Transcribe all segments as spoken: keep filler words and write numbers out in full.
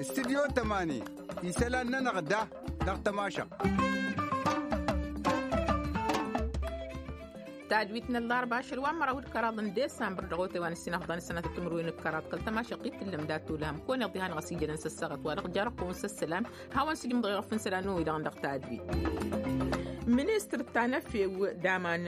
Studyo tămani isălan-nănăɣ da dăɣ-tămašăɣt. Tadwit n-ăllarba ašăl wa n-măraw d-kăraḍ n-desambăr dăɣ-otay wa n-ǝssin afḍan ǝssănatăt timǝrwen d-kăraḍ kăl-tămašăɣt i-tǝllăm dat-olăhăm kăwăn-iḍihan ɣas ijădăn s-ăssaɣăt wa dăɣ-jarăqqun s-ăssălam. Hawăn-sǝjǝmḍăɣ iɣăf n-isălan n-oy dăɣ-dăɣ tadwit. Ministăr tanăfew d-aman.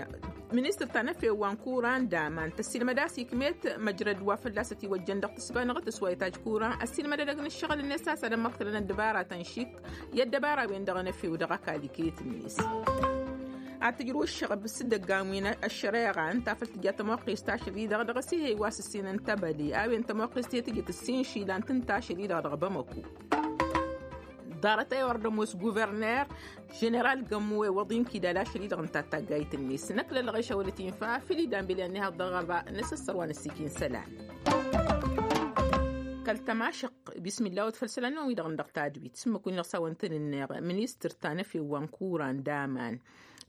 Ministăr tanăfew wa n-kuran d-aman tăssilmăd a-s ikmet măjrăd wa fălla-s ătiwăjjăn dăɣ-tǝsbanăɣ tǝswayăt ajkuran ăssilmăd edăgg n-ǝššăɣǝl-net a-s ad-ămmăḍkălăn ăddăbara tănšik i-ăddăbara-wen-dăɣ n-efew dăɣ-ăkall iket-net. Ad-tǝjrǝw ǝššăɣb s-dăggan wi n-ăššăreɣa ǝnta făl tǝja tămoqqest ašăl-i-dăɣ dăɣ-s ih'-e wa s-ǝssin n-tebăle a-wen tămoqqest i-tǝjǝt ǝssin išilan tǝnta ašăl-i-dăɣ dăɣ-bamăku. Ḍarăt ewăr d-ămoos guverner ženeral gămmu ewăḍ inkidal ašăl-i-dăɣ ǝnta taggayt-net năkk lălɣeš a wălăt infa făl idan beli ănnihaḍ dăɣ-ăba n-asăssăr wa n-ăssikin isălan. Kăl-tămašăq bismilla wăt făll-isălan n-wi-dăɣ n-dăɣ tadwit s-ǝmmǝk wi n-dăɣ s-a-wăn tăn-ǝnneɣ ministăr tanăfew wa n-kuran d-aman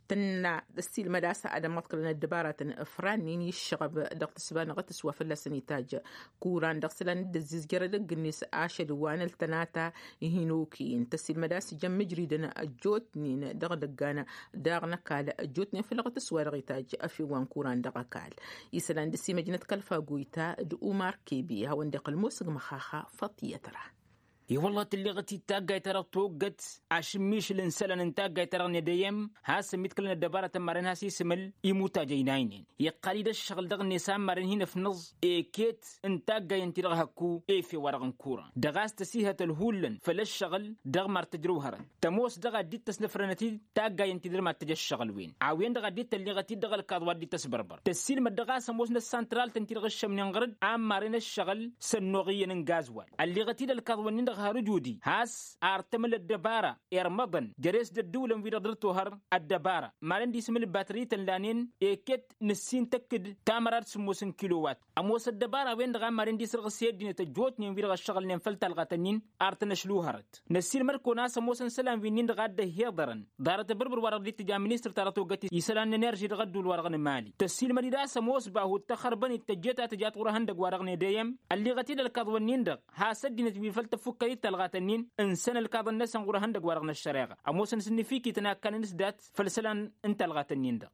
tǝnna ăssiilmăd a-s ad-ămmăḍkălăn ăddăbaratăn ǝfrannin i-ǝššăɣăb dăɣ-tǝsba n-aɣătǝs wa fălla-săn itajj kuran dăɣ-isălan dd-ăzzizjăr edăgg-net ašăl wa n-ăltănata. Hin-okăyăn tăssiilmăd a-s ijăn mǝjridăn ăjjootnen dăɣ-idăggan daɣ n-ăkall ăjjootnen făll-aɣătǝs wa dăɣ-itajj ăfew wa n-kuran dăɣ-ăkall isălan dăr-s imăjnăt kăl-fagoyta d-umar kebe hawăn-dd-iqqăl mosăg măxaxa făṭṭiyăt ra. I-wălla tǝlleɣăt-dd taggayt-ta-dăɣ toggăt ašǝmmišǝl n-isălan n-taggayt-ta-dăɣ n-edăyăm has-ămmiḍkălăn ăddăbarătăn maren has-isǝmǝl imutaj ăynaynen iqqal-dd ăššăɣǝl dăɣ-net a n-maren hin-ăfnăẓ eket n-taggayăn-ti-dăɣ hăkku efew-wa-dăɣ n-kuran dăɣ-a-s tăsihătăl hullan făll-ăššăɣǝl dăɣ-mad-tăjrăw hărăt tămoos dăɣ-a dd-tăsnăfrănăt-dd taggayăn-ti-dăɣ mad-tăj ăššăɣǝl-wen a-wen-dăɣ a dd-tălleɣăt-dd dăɣ-ălkaḍ wa dd-tăsbărbăr tăssiilmăd dăɣ-a-s ămoos n-ăssantralt ǝnta-dăɣ ǝššămnen ɣăr-dd a n-maren ăššăɣǝl s-ănnuɣ iyyăn n-gazwal ălleɣăt-dd ălkaḍ-wǝnnin-dăɣ har ǝjudi has-artăm l-ăddăbara irmăḍăn jere-s d-ădduulăn wi-dăɣ dăr-tohăr ăddăbara maren disǝm ǝlbatăr ităn lanen eket nǝssin tăkk-dd tamăra d-sǝmmos n-kilowat ămoos ăddăbara-wen-dăɣ a n-maren disărɣǝs i-ăddinăt ăjjootnen wi-dăɣ ăššăɣǝlnen făll-talɣat-ǝnnin ar tăn-ăšlu hărăt năssiilmăd-kăwăn a-s ămoosăn isălan wi-nin-dăɣ a dd-ăhhiḍărăn ḍarăt abǝrbǝr wa dăɣ-dd-tǝja ministăr-ta-dăɣ togăt isălan n-enerži dăɣ-ădduul-wa-dăɣ n-emali tăssiilmăd-dd a-s ămoos bahu d-taxărbănit tăjjeet a tǝjat ɣur-ehăndăg-wa-dăɣ n-edăyăm ălliɣăt-dd ălkaḍ-wǝnnin-dăɣ has-ăddinăt wi făl tăffukkăd-dd talɣat-ǝnnin ǝnsăn ălkaḍăn-năsăn ɣur-ehăndăg-wa-dăɣ n-ăššăreɣa ămoosăn s-ǝnnǝfikităn a ǝkkanăn s-dat făll-isălan n-talɣat-ǝnnin-dăɣ.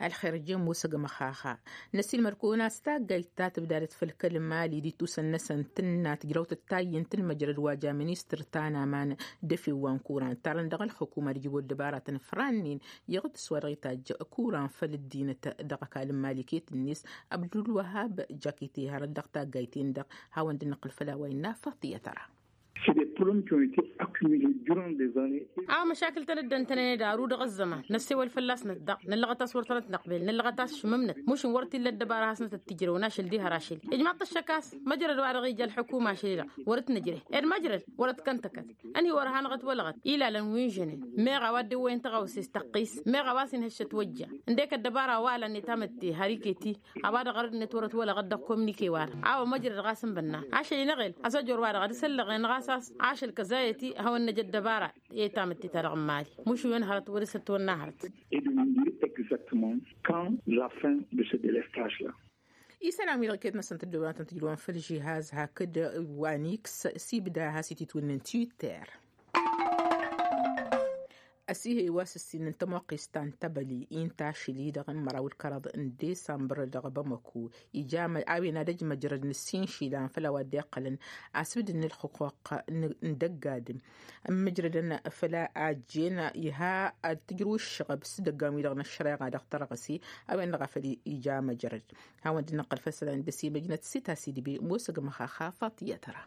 Ălxer ǝjjǝn musăg măxaxa năsiilmăd-kăwăn a-s taggayt ta tǝbdadăt făll-kăl-mali d-itusăn-năsăn tǝnna tǝjrăw tǝttayy n-tǝlmăjrăd wa ja ministăr ta n-aman d-efew wa n-kuran tarăn dăɣ-ălxukuma d-ijrǝw ăddăbaratăn fărannin iɣtǝs wa dăɣ-itajj kuran făll-ăddinăt dăɣ-ăkall n-mali iket-net abdulwăhab jakite hărăt dăɣ-taggayt-en-dăɣ. Hawăn-dd-năqqǝl făll-a-wa innă faḍt i-ad-tăra. C'est des problèmes qui ont été accumulés durant des années. A-wa măšakǝl-tăn dd-ăntănăned aru dăɣ-ăzzăman năssewăl fălla-snăt daɣ năllăɣăt a-s wăr tănăt-năqbel năllăɣăt a-s šǝmmǝmnăt mušǝn wăr t-illa ăddăbara hasnăt ăttijrăwăn ašăl diha rašel ijmaḍ-t ăššăk a-s măjrăd wa dăɣ-ija ălḥukuma ašăl-i-dăɣ wăr-ǝtnăjreh ed măjrăd wăr-ătkăn tăkăt. Ănhǝy wăr-hanăɣ-ătwălăɣăt ilalăn wi n-žănen meɣ a-wa dd-ewwăyăn tăɣawse s-tăqqis meɣ a-wa s-inhăššăt wăjja ǝndek ăddăbara wa ălăn itamǝtte har iket-i a-wa-dăɣ arădnet wăr-ătwălăɣăt dăɣ-komnike-wa-dăɣ a-wa măjrăd ɣas n-bănna ašăl-i n-eɣel ăzăjor-wa-dăɣ ad-isăllăɣen ɣas a-s ašăl kăzayăt-i hawăn-năj ăddăbara i-tamǝtte-ta-dăɣ n-mali mušǝwen hărăt wăr-s ătwănna hărăt. Et de nous dire exactement quand la fin de ce délestage là. Isălan wi-dăɣ iket-năsăn tǝddǝwăn ad-tăn-tǝjrǝwăn făll-žihaz hakd wa n-iks s-ibda has-ititwǝnna n-twitter. Ăsihăy wa s-ǝssin n-tămoqqist ta n-tebăli-i n-tašǝli dăɣ-n măraw d-kăraḍ n-desambăr dăɣ-bamăku ija a-wen ad-ăj măjrăd n-ǝssin išilan făll-a-wa dd-iqqălăn asǝbdǝd n-ǝlxǝqquq n-dăgg-adǝm ǝmmǝjrădăn făll-a ăjjeen iha ad-tǝjrǝw ǝššăɣăb s-idăggan-wi-dăɣ n-ăššăreɣa dăɣ-tărɣǝse. A-wen-dăɣ a făl ija măjrăd hawăn-dd-năqqăl făll-isălan d-ăsimăjnăt s-itasǝy d-ibe mosăg măxaxa faḍt i-ad-tăra.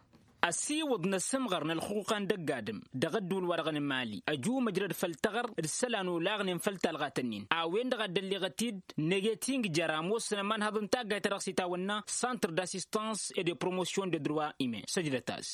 Ăsiwǝḍ n-asǝmɣăr n-ălxuquqa n-dăgg-adǝm dăɣ-ădduul-wa-dăɣ n-mali ăju măjrăd făll-tăɣăr d-isălan olaɣnen făll-talɣat-ǝnnin a-wen-dăɣ a dd-ălleɣăt-dd năgăt injăr ămoosăn ămanhăḍ n-taggayt-ta-dăɣ s-itawănna centre d'assistance et de promotion de droits humains săjdăt-as.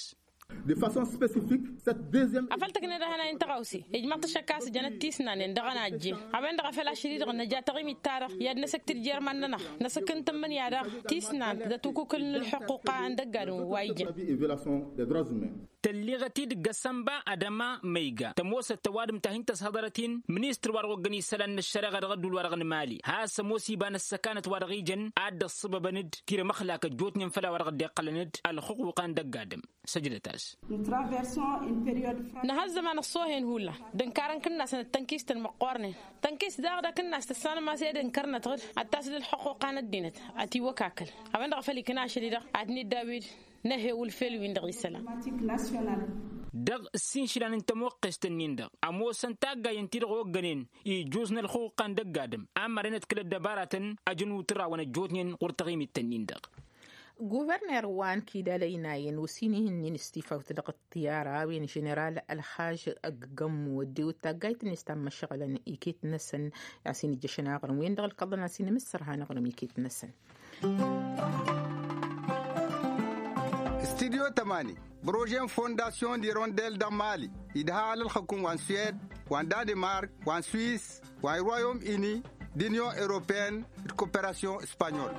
De façon spécifique cette deuxième. Afăl tǝkned ehănay n-tăɣawse ijmăḍ-t ăššăk a-s ǝjănăt tisnanen dăɣ-ănajje a-wen-dăɣ a făl ašăl-i-dăɣ năja taɣimit-ta-dăɣ i-ad-năsăk tǝjjer iman-nănăɣ năsăk n-tǝmmǝnǝya daɣ tisnant dat-ukukǝl n-ălxuqqa n-dăgg-adǝm wa ijăn. Violation des droits humains. tălliɣăt-dd găsănba ad-ăma ma iga tămoosăt ăwadǝm ta hin-tăshăḍărăt-in ministăr wa dăɣ-oggăn isălan n-ăššăreɣa dăɣ-ădduul-wa-dăɣ n-mali has-ămoos iba n-ăssăkanăt wa dăɣ-ijăn ad-dd-ăṣṣăbăbăn-dd tirămăxlak ăjjootnen făll-a-wa dăɣ-dd-iqqălăn-dd ălxuqquqa n-dăgg-adǝm. Săjdăt-as. Năha ăzzăman ăṣṣoohen hullan d-ǝnkarăn kǝnnasăn d-tănkistăn măqqoornen tănkist daɣ d-akǝnnas tăssanăm a-s ed ǝnkărnăt ɣǝd ad-tasǝl ălxuqquqa n-ăddinăt ad-t-iwwăkakăl a-wen-dăɣ a făl ikna ašăl-i-dăɣ ad-t-nǝdda a-wen năhewǝl fel-win-dăɣ isălan. Dăɣ-ǝssin išilan n-tămoqqest-ǝnnin-dăɣ ămoosăn taggayen-ti-dăɣ oggănen ijuz n-ălxuqquqa n-dăgg-adǝm a mărăynăt kăl-ăddăbaratăn ăjăn utǝrawăn ăjjootnen ɣur-taɣimit-ǝnnin-dăɣ. Guverner wa n-kidal ăynayăn ossin ihǝnnin s-tifawt dăɣ-ăṭṭiyara a-wen ženeral ălxaž ăggămmu ăddewăt taggayt-net ta n-măšăɣǝlăn iket-năsăn. A-s inǝjjăšăn aɣrǝm-wen-dăɣ ǝlkăḍăn a-s inǝmǝssărhan aɣrǝm iket-năsăn. Studyo tămani brožen fondasyon d-irondel dăɣ-mali idha alălxăkum wa n-suwed wa n-danimark wa n-swis wa n-royom ini d-inyon europeyăn d-koperasyon. Spanyol.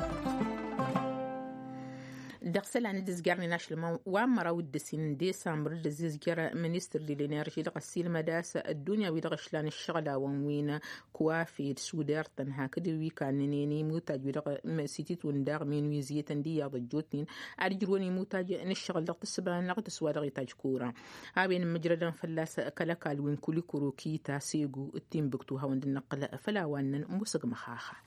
Dăɣ-isălan d-izjărnen ašlămăn wa n-măraw d-ǝssin n-disambăr d-ăzizjăr ministăr d-lenerži dăɣ-ăssiilmăd a-s ăddunya wi-dăɣ ǝšlan ǝššăɣǝlawăn wi n-kuwafi d-suder-tăn hakd wi kannănen imutaj wi-dăɣ s-ititwǝn daɣ minwiziyătăn d-iyyăḍ ăjjootnen ad-ǝjrǝwăn imutaj n-ǝššăɣǝl dăɣ-tǝssǝba n-aɣtǝs wa dăɣ-itaj kura a-wen ǝmmǝjrădăn fălla-s kăl-ăkall wi n-kulikuru kita segu d-tinbǝktu hawăn-dd-năqqǝl făll-a-wa ǝnnăn musǝgmăx. Axa.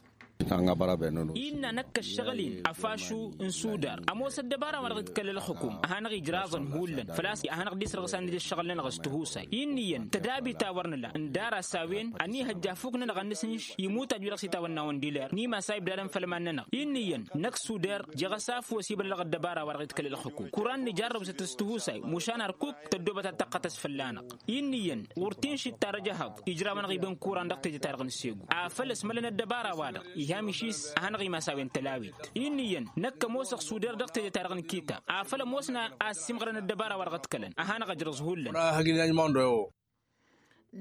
Innă năkk ăššăɣǝl-in ăfašu n-sudar ămoos ăddăbara wa dăɣ-itkăl ălxǝkum a hanăɣ-ijraẓăn hullan făl-a-s a hanăɣ-dd-isrăɣsan d-ǝššăɣǝl-nănăɣ s-tihusay. Inn'-iyyăn tădabit a wăr nǝla ǝndar-as a-wen ănihăjja afuk-nănăɣ ad-nǝsǝnš imutaj wi-dăɣ s-itawănna wăn diler n-imas a ibdadăn făll-iman-nănăɣ. Inn'-iyyăn năkk sudar jeɣ-ăsafwăs ibnă dăɣ-ăddăbara wa dăɣ-itkăl ălxǝkum kuran nǝjarrăb s-dd-tihusay mušan ărkuk tăddoobăt ad-tăqqătăs fălla-năɣ. Inn'-iyyăn ɣur-tinšit ta dăr-ejăhăḍ ijrawăn-aɣ iba n-kuran dăɣ-teje-ta-dăɣ n-segu afăl ăsmălăn ăddăbara-wa-dăɣ iha mišis a hanăɣ-imas a-wen tălawit. Inn'-iyyăn năkk ămoosăɣ suder dăɣ-teje-ta-dăɣ n-kitab afăl ămoosăn a ăssiimɣărăn ăddăbara wa dăɣ-ăḍkălăn a hanăɣ-ăjrăẓ hullan.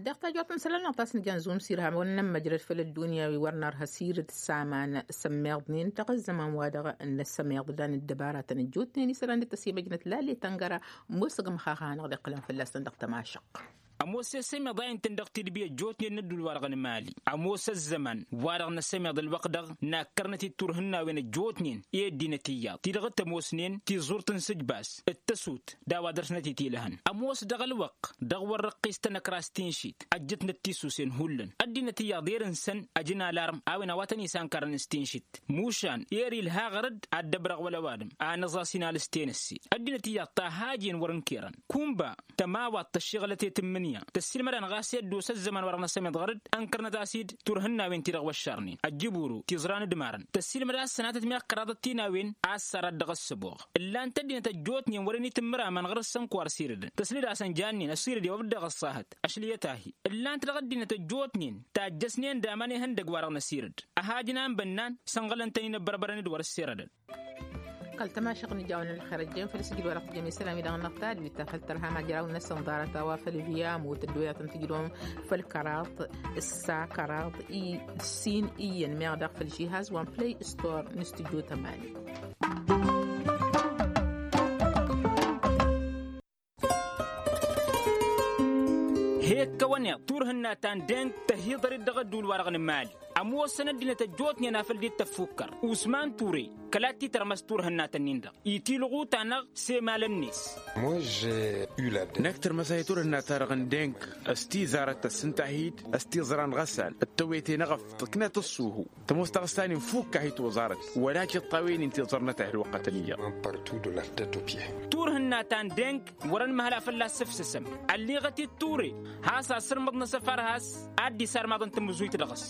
Dăɣ-tajwăt n-isălan-năɣ ta s-nǝja n-zumsir hamăwăn n-ămmăjrăd făll-ăddunya wi wăr nărha sirǝd s-aman sămmeḍnen dăɣ-ăzzăman-wa-dăɣ n-sămmeḍ dan ăddăbaratăn ăjjootnen isălan d-tăsimăjnăt lale tăngăra musǝgmăx a hanăɣ-dd-iqqǝlăn fălla-săn dăɣ-tămašăq. Ămoos i-sămeḍ a intăn dăɣ-tidbi ăjjootnen n-ădduul-wa-dăɣ n-mali ămoos ăzzăman wa-dăɣ n-asămeḍ ălwăqq-dăɣ nakkărnăt-dd turhǝnnawen ăjjootnen i-ăddinăt iyyăḍ ti-dăɣ t-ămoosnen tiẓurt n-sǝjbas d-tăsut d-a-wa dăr-snăt itilăhăn. Ămoos dăɣ-ălwăqq dăɣ-wăr răqqis tanăkrast tinšit ăjjătnăt tisusen hullan ăddinăt iyyăḍ irǝnsăn ăjǝn alarm a-wen a-wa tăn-isankarăn s-tinšit mušan eri ǝlha ɣăr-dd ad-dd-ăbrăɣ wăla ăwadǝm a nǝẓas inalǝs tenăsse. Ăddinăt iyyăḍ ta hajen wăr ǝnkerăn kunba tămawaḍt ăššiɣǝlăt i-tǝmmǝnǝya tăssiilmăd-anăɣ a-s i-ăddos ăzzăman wa dăɣ-năsămeḍ ɣăr-dd ănkărnăt-as-dd turhǝnnawen-ti-dăɣ wăššărnen ăjjǝburu tiẓra n-ǝdmarăn tăssiilmăd a-s sănatăt meɣ kăraḍăt tinawen a ăssarad dăɣ-ăssăboɣ. Ǝllan-t ăddinăt ăjjootnen wăren itǝmmǝramăn ɣăr-s ănk wa ărsirdăn tăslǝd-asăn jannen ăsired i-wăr dd-dăɣ-ăṣṣahăt. Ăšlǝyăt-ahi ǝllan-t dăɣ-ăddinăt ăjjootnen tajjăsnen d-aman ihăndăg wa dăɣ-năsirǝd ăhajǝn a n-bănnan sănɣălăn-tăn-in ăbbărbărăn d-wăr-ǝssirădăn. Kăl-tămašăɣt n-ijawăn ălxer ăjjeen făll-sǝjǝd wa dăɣ-tǝjjăm isălan-wi-dăɣ n-ăṭṭalwit ta făll-tărha majraw-năsăn ḍarăt a-wa făll-viyamut ăddoyăt n-tǝjrǝwăm făll-kăraḍ ǝssa kăraḍ i-sin iyyăn meɣ daɣ făll-žihaz wa n-play store n-studyo tămani. He-ǝkkăwăn iḍ turhǝnna ta n-deng tăhiḍăr-dd dăɣ-ădduul-wa-dăɣ n-mali ămoosăn ăddinăt ăjjootnen a făl dd-tăffukkăr usman ture kăla t-titărmăs turhǝnna-tăn-in-dăɣ. Itiluɣu-ta-năɣ s-emalăn-net. Năkk tărmăs-ahi turhǝnna-ta-dăɣ n-deng s-tiẓarăt tăssǝnta-hi-dd s-tiẓra n-ɣăsal d-tewete n-eɣăf tǝknăt ǝṣṣuhu. Tămoos taɣǝsta-nin fukk-ahi toẓarăt wăla-k iṭṭawen-in tiẓărnăt-ahi ălwăqqătăn iyyăḍ. Turhǝnna ta n-deng wăr-ănmăhăl a fălla-s sǝfsǝsăm. Ălliɣăt-dd ture has-asǝrmăḍ n-asăfar has-a dd-isarmaḍăn tamǝzuyt dăɣ-s.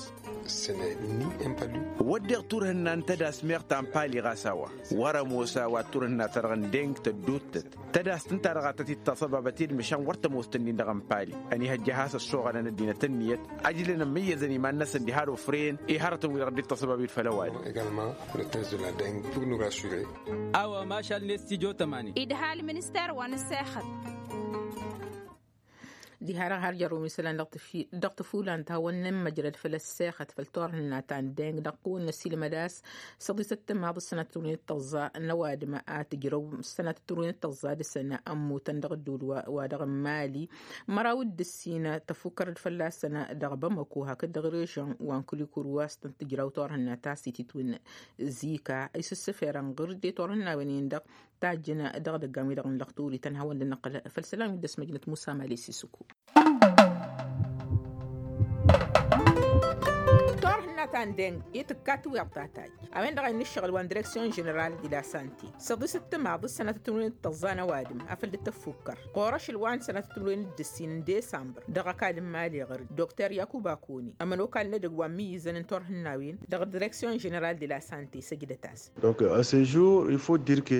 Wădden turhǝnna n-tădas meɣ ta n-pali ɣas a-wa wăr-ămoos a-wa turhǝnna-ta-dăɣ n-deng tădduuttăt tădas-t ǝnta-dăɣ a tăt-dd-taṣăbabăt-dd măšan wăr tămoos tǝnnin-dăɣ n-pali. Ănihăjja a has-ăssoɣălăn ăddinăt ǝnniyăt ăjlăn ămmǝyyăzăn iman-năsăn diha d-ofren i-hărătăn-wi-dăɣ dd-taṣăbab-dd făll-ăwadǝm. A-wa mašal-net tijo tămani. Idha ălminister wa n-ǝssexăt. Diha-dăɣ har jărrǝw n-isălan dăɣ-tǝfulan tăhăwăn n-inmăjrăd făll-ăssexăt făll-turhǝnna ta n-deng dăɣ-kăwăn-năsilmăd a-s săḍisăt timaḍ s-sănatăt timǝrwen d-tăẓẓa n-ăwadǝm a tǝjrăw s-sănatăt timǝrwen d-tăẓẓa dăɣ-săn ămmutăn dăɣ-ădduul wa dăɣ-n mali. Măraw d-ǝssin tăfukkăr-dd fălla-săn dăɣ-bamăko hakd dăɣ-režăn wa n-kǝlikǝr wa s-tăn-tǝjraw turhǝnna ta s-ititwǝn zika isǝssǝferăn ɣǝr-dd i-turhǝnnawen-in-dăɣ tajjǝn dăɣ-idăggan-wi-dăɣ n-lăxturi tăn-hawăn-dd-năqqǝl făll-isălan wi dd-ăsmăjnăt musa mali s-isǝkku. Turhǝnna ta n-deng i-tǝkka tiwiḍ ta tajj a-wen-dăɣ a innă ǝššăɣǝl wa n-direksyon ženeral di la sante săḍisăt timaḍ s-sănatăt timǝrwen d-tăẓẓa n-ăwadǝm afăl dd-tăffukkăr ɣur-ašăl wa n-sănatăt timǝrwen d-ǝssin n-desambăr dăɣ-ăkall n-mali ɣǝr-dd dokter yakuba kuni ămănokal n-edăgg wa n-imǝyyǝzăn n-turhǝnnawen dăɣ-direksyon ženeral di la sante săjdăt-as. Donc à ce jour il faut dire que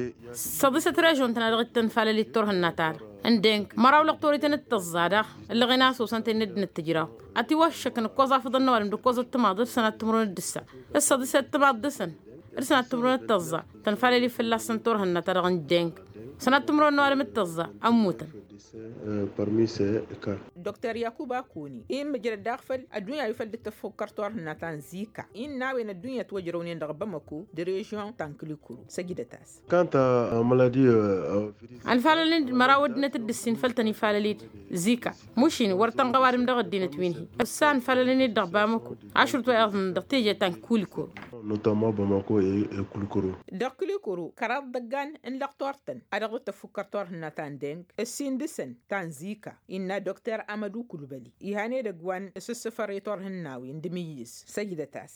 săḍisăt režon-tăn a dăɣ-t tănfalălit turhǝnna-ta-dăɣ n-deng măraw lăqtorităn d-tăẓẓa daɣ ǝllăɣen a-s osăn-ten n-ăddinăt tǝjraw ătiwăššăkăn ǝkkoẓ afǝḍăn n-ăwadǝm d-ǝkkoẓăt timaḍ d-sănat timǝrwen d-ǝssa d-săḍisăt timaḍ dăɣ-săn d-sănat timǝrwen d-tăẓẓa tănfalălit fălla-săn turhǝnna-ta-dăɣ n-deng sănat timǝrwen n-ăwadǝm d-tăẓẓa ămmutăn. Parmi ces cas. Dokter yakuba kuni i n-mǝjrăd daɣ făll-ăddunya wi făl dd-tăffukkăr turhǝnna ta n-zika innă a-wen ăddunya ătwăjrăwnen dăɣ-bamăko d-režyon ta n-kǝlikǝru săjdăt-as. Kanta a maladi. Ănfalălăn-dd măraw ăddinăt d-ǝssin făll-tăn-ifalăl-dd zika mušin wăr tănɣa ăwadǝm dăɣ-ăddinăt wi n-hi-ăssa ănfalălăn-dd dăɣ-bamăko ašrut wa iḍǝnnăn dăɣ-teje ta n-kulikoro. Notama bamăko e kulikoro. Dăɣ-kulikoro kăraḍ dăggan n-lăqtor-tăn a dăɣ-dd-tăffukkăr turhǝnna ta n-deng ǝssin dăɣ-săn ta n-zika innă dokter amădu kulbăli ihan edăgg wa n-sǝssǝfăr i-turhǝnnawen d-imǝyyǝz săjdăt-as.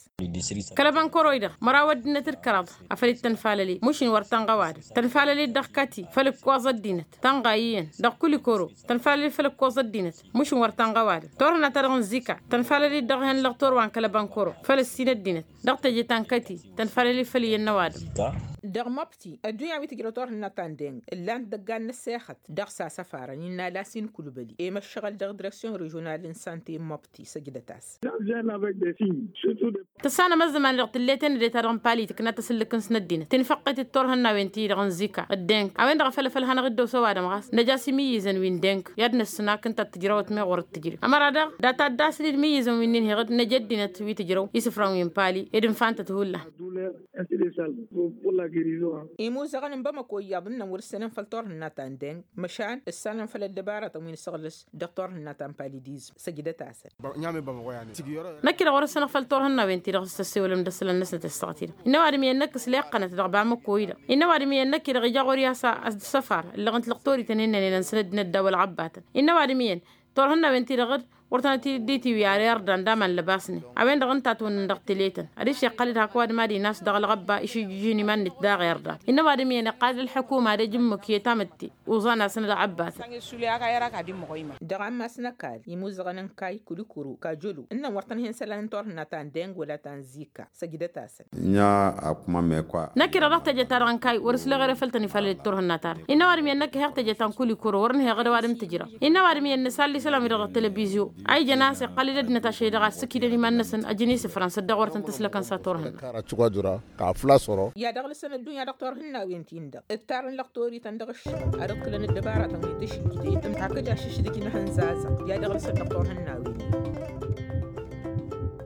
Kăl-ăbănkăroy-dăɣ măraw ăddinăt d-kăraḍ afăl dd-tănfalăled mušin wăr tănɣa ăwadǝm tănfalăled dăɣ-kati făll-ǝkkoẓ ăddinăt tănɣa iyyăn dăɣ-kulikoro tănfalăled făll-ǝkkoẓ ăddinăt mušin wăr tănɣa ăwadǝm turhǝnna-ta-dăɣ n-zika tănfalăled dăɣ-ihăn lăɣtor wa n-kăl-ăbănkăro făll-ǝssin ăddinăt dăɣ-teje ta n-kăti tănfalăled făll-iyyăn n-ăwadǝm. Dăɣ-măbti ăddunya wi tǝjrăw turhǝnna ta n-deng ǝllan-t dăggan n-ăssexăt dăɣ-s asăfarăn innă lasin kulbăli i-măššăɣăl dăɣ-direksyon režional n-sante n-măbti săjdăt-as. Tăssanăm ăzzăman-i-dăɣ tǝllet enăde-ta-dăɣ n-palitik n-ad-tăsǝllǝk-n s-năddinăt tinfăqqet d-turhǝnnawen-ti-dăɣ n-zika d-deng a-wen-dăɣ a făl ăfăl hanăɣ-dd-osa ăwadǝm ɣas năj'-as imǝyyǝzăn wi n-deng i-ad-năssǝn a-k ǝnta a t-tǝjrăwăt meɣ wăr t-tǝjrǝw ămăra daɣ data dd-asǝl d-imǝyyǝzăn wi n-inheɣ-dd năj' ăddinăt wi tǝjrăw isǝfran wi n-pali ed ǝnfantăt hullan. Imuzăɣăn n-bamăko iyyăḍ ǝnnăn wăr-ǝssănăn făll-turhǝnna ta n-deng măšan ǝssanăn făll-ăddăbarătăn wi n-asăɣlǝs dăɣ-turhǝnna ta n-palidizm săjdăt-asăn. Năkk-i-dăɣ wăr-ăssănăɣ făll-turhǝnnawen-ti-dăɣ s-tăssewălăm d-ăssălan-năsnăt i-ăssaɣăt-i-dăɣ innă ăwadǝm iyyăn năkk s-leqqănăt dăɣ-bamăko-i-dăɣ innă ăwadǝm iyyăn năkk-i-dăɣ ija ɣur-i a-s ăssăfar ǝllăɣ-ǝnt lăqtor-ităn innănen ănsănăt d-inădda wăla ɣăbbatăn innă ăwadǝm iyyăn turhǝnnawen-ti-dăɣ d-wăr tănăt-dd-itiwǝy ar irdan d-aman lăbasnen a-wen-dăɣ ǝnta a t-wănnăn dăɣ-tele-tăn ad-dd-iseqqăl-dd hak ăwadǝm ad-inas dăɣ-ălɣăbba išǝjjǝjǝn iman-net daɣ irdan innă ăwadǝm iyyăn iqqal-dd ălḥukuma ad-ăj ǝmmǝk i-tamǝtte uẓan-asăn d-aɣăbbatăn. Dăɣ-ammas n-ăkall imuzăɣăn n-kayy kulikuru kajălu ǝnnăn wăr tăn-hen isălan n-turhǝnna ta n-deng wăla ta n-zika săjdăt-asăn. Năkk-i-dăɣ dăɣ-teje-ta-dăɣ n-kayy wăr-ǝsleɣ ere făll-tăn-ifalăl d-turhǝnna-ta-dăɣ innă ăwadǝm iyyăn năkk heɣ teje ta n-kulikuru wăr-ǝnheɣ d-ăwadǝm tǝjrăw innă ăwadǝm iyyăn nǝsalli isălan-wi-dăɣ dăɣ-telebizyo a ijăn a-s iqqăl-dd ăddinăt ašăl-i-dăɣ a ǝssǝkidăn iman-năsăn ăjăn isǝfran s-ăddoɣ wăr tăn-tǝslăkăn s-ad-turhǝnna. Kăra-t šugadura kafla săro. I-ad-ăɣlǝsăn ăddunya dăɣ-turhǝnnawen-tin-dăɣ ǝttarăn lăqtor-ităn dăɣ-ǝššăɣǝl ad-ǝḍkǝlăn ăddăbaratăn wi n-tǝšǝjdit hakd ašǝšdǝj n-ehăn zazăɣ i-ad-ăɣlǝsăn dăɣ-turhǝnnawen-in.